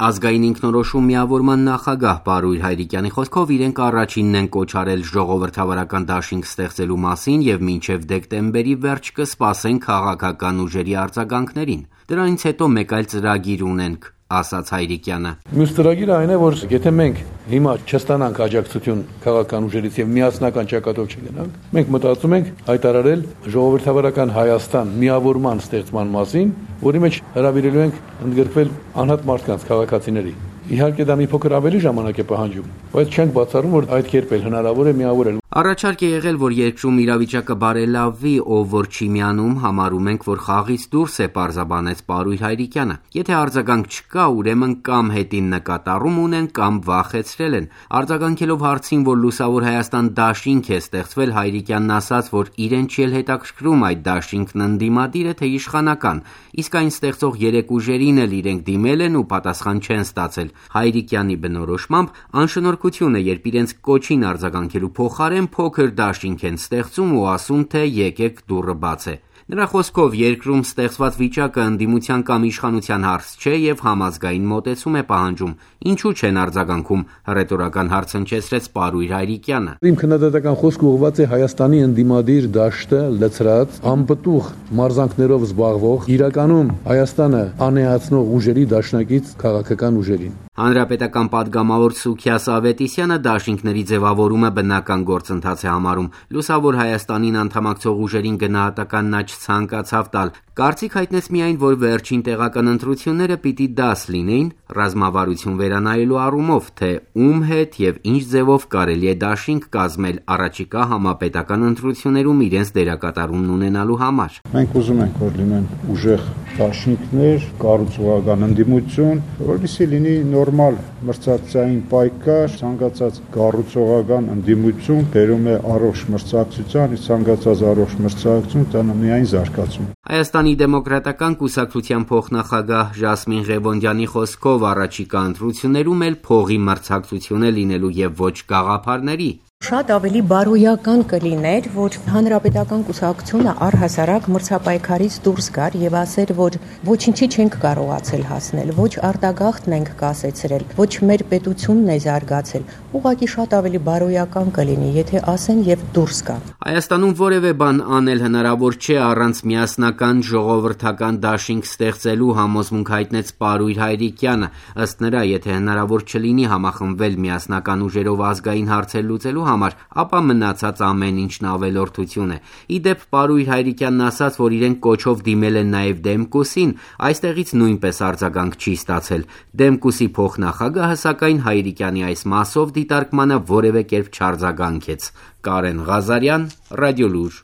Ազգային ինքնորոշում միավորման նախագահ Պարույր Հայրիկյանի խոսքով իրենք առաջինն են կոչ արել ժողովրդավարական դաշինք ստեղծելու մասին եւ մինչեւ դեկտեմբերի վերջ կսպասեն քաղաքական ուժերի արձագանքներին։ Դրանից հետո մեկ այլ ծրագիր ունենք, ասաց Հայրիկյանը։ Մյուս ծրագիրը այն է, որ եթե մենք հիմա չստանանք աջակցություն քաղաքական ուժերից եւ միասնական ճակատով չգնանք, մենք մտածում ենք հայտարարել ժողովրդավարական Հայաստան միավորման ստեղծման մասին, որի մեջ հրավիրելու ենք ընդգրկվել անհատ մարդկանց, քաղաքացիների։ Իհարկե դա մի փոքր ավելի ժամանակ է պահանջում, բայց չենք բացառում, որ այդ կերպ էլ հնարավոր է միավորել։ Առաջարկ է եղել, որ երկրում իրավիճակը բարելավվի, ով որ չի միանում, համարում ենք, որ խաղից դուրս է, պարզաբանեց Պարույր Հայրիկյանը։ Եթե արձագանք չկա, ուրեմն կամ հետին նկատառում ունեն, կամ վախեցրել են։ Արձագանքելով հարցին, որ Լուսավոր Հայաստան դաշինք է ստեղծվել, Հայրիկյանն ասաց, որ իրեն չի էլ հետաքրքրում այդ դաշինքն ընդդիմադիր է, թե իշխանական, իսկ այն ստեղծող երեք ուժերին էլ իրենք դիմել են ու պատասխան չեն ստացել։ Հայրիկյանի բնորոշմամբ անշնորհքություն է, երբ իրենց կոչին արձագանքելու փոխարեն փոքր դաշինք են ստեղծում ու ասում, թե եկեք դուռը բաց է։ Նրա խոսքով երկրում ստեղծված վիճակը ընդդիմության կամ իշխանության հարց չէ եւ համազգային մոտեցում է պահանջում։ Ինչու չեն արձագանքում, հռետորական հարց հնչեցրեց Պարույր Հայրիկյանը։ Իմ քննադատական խոսքը ուղղված է Հայաստանի ընդդիմադիր դաշտը լցրած, անպտուղ մարզանքներով զբաղվող, իրականում Հայաստանը անեացնող ուժերի դաշնակից քաղաքական ուժերին։ Հանրապետական պատգամավոր Սուքիաս Ավետիսյանը դաշինքների ձևավորումը բնական գործընթաց է համարում։ Լուսավոր Հայաստանին անդամակցող ուժերին գնահատական նա չցանկացավ տալ։ Կարծիք հայտնեց միայն, որ վերջին տեղական ընտրությունները պիտի դաս լինեին ռազմավարություն վերանայելու առումով, թե ում հետ եւ ինչ ձևով կարելի է դաշինք կազմել առաջիկա համապետական ընտրություններում իրենց դերակատարումն ունենալու համար։ Մենք ուզում ենք, որ լինեն ուժեղ դաշինքներ, կառուցողական ընդդիմություն, որովհետեւ լինի նորմալ մրցակցային պայքար, ցանկացած կառուցողական ընդդիմություն բերում է առողջ մրցակցության, իսկ ցանկացած առողջ մրցակցություն տանը միայն զարգացում։ Հայաստանի դեմոկրատական կուսակցության փոխնախագահ Ժասմին Ղևոնդյանի խոսքով առաջիկա ընտրություններում էլ փողի մրցակցություն է լինելու եւ ոչ գաղափարների։ Շատ ավելի բարոյական կլիներ, որ հանրապետական կուսակցությունը առհասարակ մրցապայքարից դուրս գար եւ ասեր, որ ոչինչի չենք կարողացել հասնել, ոչ արտագաղթն ենք կասեցրել, ոչ մեր պետությունն է զարգացել։ Ուղղակի շատ ավելի բարոյական կլինի, եթե ասեն եւ դուրս գան։ Հայաստանում որևէ բան անել հնարավոր չէ առանց միասնական ժողովրդական դաշինք ստեղծելու, համոզմունք հայտնեց Պարույր Հայրիկյանը։ Ըստ նրա, եթե հնարավոր չլինի համախմբվել միասնական ուժերով ազգային հարցեր լուծելու համար, ապա մնացած ամեն ինչն ավելորդություն է։ Իդեպ Պարույր Հայրիկյանն ասաց, որ իրենք կոչով դիմել են նաև Դեմկուսին, այստեղից նույնպես արձագանք չի ստացել։ Դեմկուսի փոխնախագահը սակայն Հայրիկյանի այս մասով դիտարկմանը որևէ կերպ չարձագանքեց։ Կարեն Ղազարյան, Ռադիոլուր։